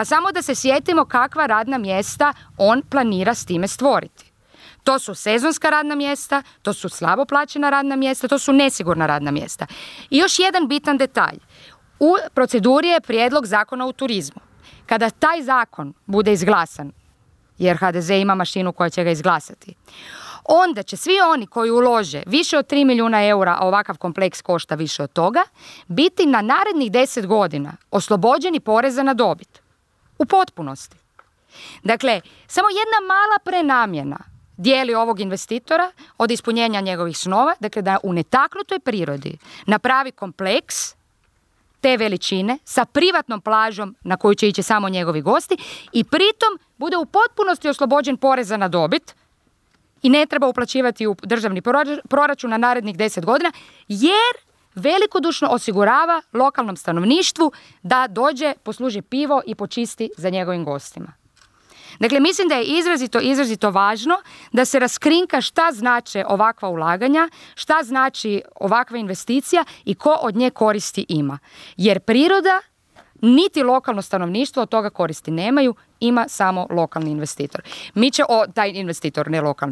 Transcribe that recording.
Pa samo da se sjetimo kakva radna mjesta on planira s time stvoriti. To su sezonska radna mjesta, to su slabo plaćena radna mjesta, to su nesigurna radna mjesta. I još jedan bitan detalj. U proceduri je prijedlog zakona o turizmu. Kada taj zakon bude izglasan, jer HDZ ima mašinu koja će ga izglasati, onda će svi oni koji ulože više od 3 milijuna eura, a ovakav kompleks košta više od toga, biti na narednih 10 godina oslobođeni poreza na dobit. U potpunosti. Dakle, samo jedna mala prenamjena dijeli ovog investitora od ispunjenja njegovih snova, dakle da u netaknutoj prirodi napravi kompleks te veličine sa privatnom plažom na koju će ići samo njegovi gosti i pritom bude u potpunosti oslobođen poreza na dobit i ne treba uplaćivati u državni proračun na narednih 10 godina, jer velikodušno osigurava lokalnom stanovništvu da dođe, posluži pivo i počisti za njegovim gostima. Dakle, mislim da je izrazito važno da se raskrinka šta znače ovakva ulaganja, šta znači ovakva investicija i ko od nje koristi ima. Jer priroda niti lokalno stanovništvo od toga koristi nemaju, ima samo lokalni investitor. Taj investitor, ne lokalni.